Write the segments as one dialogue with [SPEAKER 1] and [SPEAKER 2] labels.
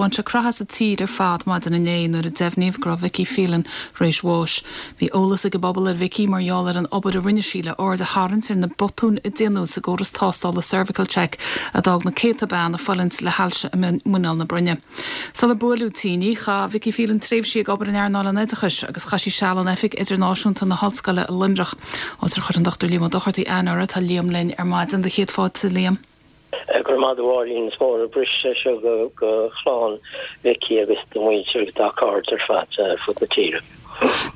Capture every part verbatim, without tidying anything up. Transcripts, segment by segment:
[SPEAKER 1] Bhain sé croitheadh as an tír ar fad maidin inné nuair a deimhníodh go raibh Vicky Phelan tar éis bháis. Bhí eolas ag an bpobal ar Vicky mar gheall ar an obair a rinne sí le aird a tharraingt ar na botúin a déanadh sa gcóras tástála cervical check a d'fhág na céadta bean ag fulaingt le hailse i muineál na broinne. Sular buaileadh tinn í, chaith Vicky Phelan tréimhsí ag obair in earnáil an oideachais agus chaith sí seal in oifig idirnáisiúnta na hollscoile i Luimneach. Áit ar chuir an Dochtúir Liam Ó Dochartaigh aithne uirthi. Tá Liam linn ar maidin do chéad fáilte Liam.
[SPEAKER 2] Gur maith bháín is mór brise seo go go chlann Vicky agus do mhuintir agus dá cairde ar fad fud na tíre.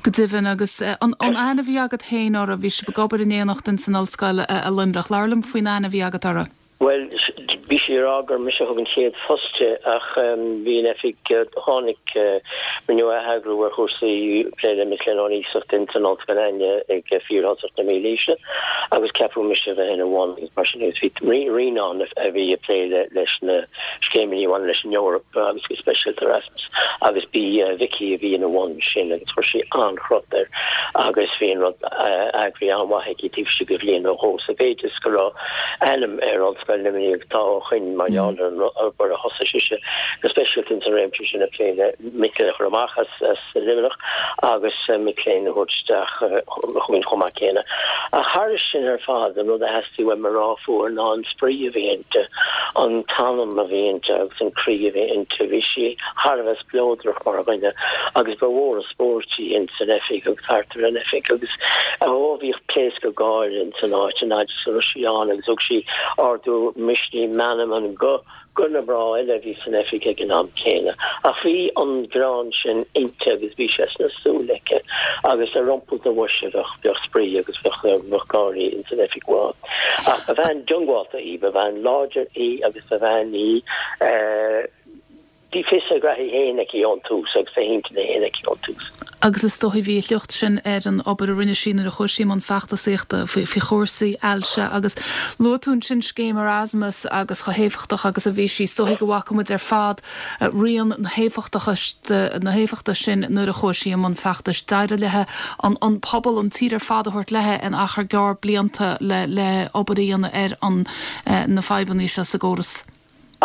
[SPEAKER 1] Go deimhin agus an aithne a bhí agat féin uirthi bhí sibh ag obair in éineacht in san ollscoil i Luimneach. Labhair liom faoin aithne a bhí agat uirthi.
[SPEAKER 2] Well bhí sí rá gur mise thug an chéad phost di ach bhí an oifig tháinig rinneadh atheagrú ar chúrsaí plé le mic léinn iasacht in san ollscoil ag fíorthosach na mílaoise agus ceapadh mise bheith ina bhun mar sin bhí rian a bhí ag plé leis na scéimeanna bhain leis an Eoraip agus go speisialta Erasmus agus bhí Vicky a bhí ina bhun sin agus chuir sí an-chrot air agus bhí an rud eagraithe an-mhaith aici taobh istigh de bhliain nó dhó sa mhéid is go raibh ainm ar Ollscoil Luimnigh tá ó shin mar gheall ar an obair a thosaigh sise go speisialta sa réimse sin a plé le mic léinn a chur amach as as Luimneach agus mic léinn a thabhairt isteach chugainn chomh maith céanna. Ach thairis sin ar fad an rud a theastaigh uaim a rá fúithi ná an spraoi a bhí inti, an t-anam a bhí inti agus an croí a bhí inti, bhí sí thar a bheith spleodrach mar dhuine agus ba mhór an spórt í in san oifig agus thart ar an oifig agus ó bhíodh pléascadh gáire in san áit an fhad is a raibh sí ann agus thug sí ardú misnigh meanman go go na mná eile bhí san oifig ag an am céanna. Ach bhí an greann sin inti agus bhí sé sna súile aici agus ar iompú do bhoise bheadh bheadh spraoi agus bheadh bheadh gáirí in san oifig amháin. Ach ba bhean diongbháilte í, ba bhean láidir í agus ba bhean í uh, bhí fios a graithe féin aici ón tús agus a hintinn féin aici ón tús.
[SPEAKER 1] Agus is dóigh bhí a shliocht sin ar an obair a rinne sí nuair a chuaigh sí i mbun feachtasaíochta faoi faoi chúrsaí ailse agus luaigh tú ansin scéim Erasmus agus chomh héifeachtach agus a bhí sí is dóigh go bhfaca muid ar fad rian na héifeachtachta na héifeachta sin nuair a chuaigh sí i mbun feachtais d'éirigh léi an an pobal an tír ar fad a thabhairt léi in achar gearr blianta le le obair a dhéanamh ar an na fadhbanna seo sa gcóras.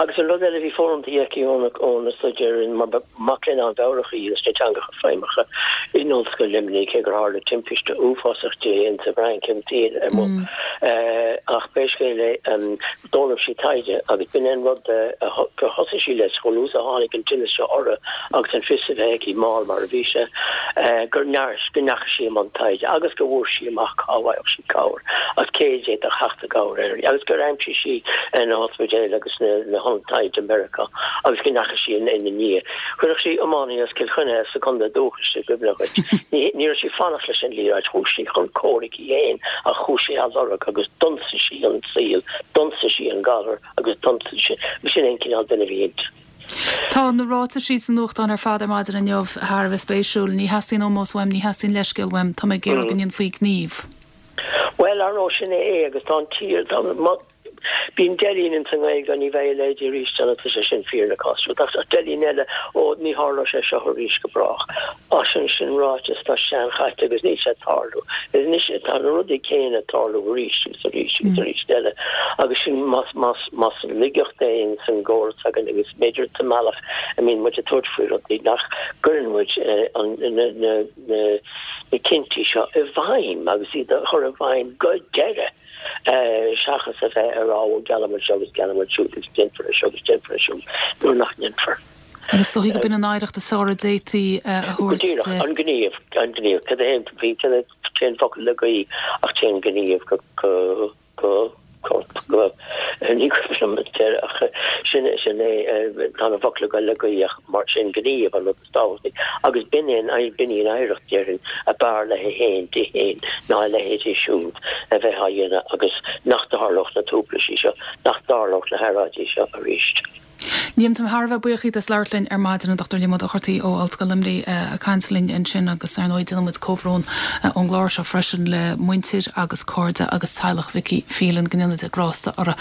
[SPEAKER 2] Agus an rud eile bhí foghlamtha aici óna staidéar in mar mac léinn an-mheabhrach í sna teangacha feidhmeacha in Ollscoil Luimnigh cé gur tharla timpiste uafásach di in sa bhFrainc an tír amuigh. Ach pé scéal é d'fhoghlaim sí taighde agus b'in an rud gur thosaigh sí leis chomh luath a tháinig an tinneas seo uirthi agus an fios a bheith aici mall mar a bhí sé gur nears go ndeachaigh sí i mbun taighde agus go bhfuair sí amach cá bhfaigheadh sí cabhair agus cé d'fhéadfadh theacht i gcabhair uirthi agus gur aimsigh sí na hospidéil agus na na taighde Meiriceá agus go ndeachaigh sí ina ndiaidh. Chuirfeadh sí iománaí as Cill Chainnigh sa chontae dúchais i gcuimhne dhuit. Ní raibh sí fanacht leis an liathróid chuaigh sí chun comhraic í féin ach chuaigh sí á lorg agus d'ionsaigh sí an saol, d'ionsaigh sí an galar agus d'ionsaigh sí sin an cineál duine a bhí inti.
[SPEAKER 1] Tá na ráitisí sa nuachtán ar fad ar maidin inniu thar a bheith spéisiúil, ní theastaíonn ómós uaim, ní theastaíonn leithscéal uaim, tá mé ag iarraidh go ndéanfaí gníomh.
[SPEAKER 2] Well ar sin é agus tá an tír Bíonn deilín in san Ghaeilge ní bheidh a leithéid arís tá sé sin fíor na cás ach deilín eile ó ní tharlóidh sé seo arís go brách. Ach sin sin ráiteas tá seanchaite agus níl sé ag tarlú. Anois tá na rudaí céanna ag tarlú arís agus arís agus arís eile agus sin más más más laigeacht é san gcóras againn agus b'fhéidir sa mbealach a mbíonn muid ag tabhairt faoi rudaí nach gcuireann muid an na na na na cinntí seo i bhfeidhm agus iad a chur i bhfeidhm go deireadh. seachas a bheith ar á geallamuid seo agus geallamuid siúd agus déanfar seo agus déanfar siúd nuair nach ndéanfar.
[SPEAKER 1] Agus dóigh go b'in an oidhreacht is fearr a d'fhéadfaí a thabhairt
[SPEAKER 2] an gníomh an gníomh cad é bhí téann focal le gaoth ach téann gníomh go go go go ní ach sin sin é tá na focla go le gaoth mar sin gníomh an rud is tábhachtaí agus b'in é b'in í an oidhreacht déarfainn ab fhearr léi féin di féin ná a leithéidí siúd a bheith á dhéanamh agus nach dtarlódh na tubaistí seo nach dtarlódh na hearráidí seo arís.
[SPEAKER 1] Liam tá thar a bheith buíoch as labhairt linn ar maidin an Dochtúir Liam Ó Dochartaigh ó Ollscoil Luimnigh ag caint linn ansin agus ar ndóigh déanaimid comhbhrón ón gclár seo freisin le muintir agus cairde agus teaghlach Vicky Phelan go ndéana Dia grásta orthu.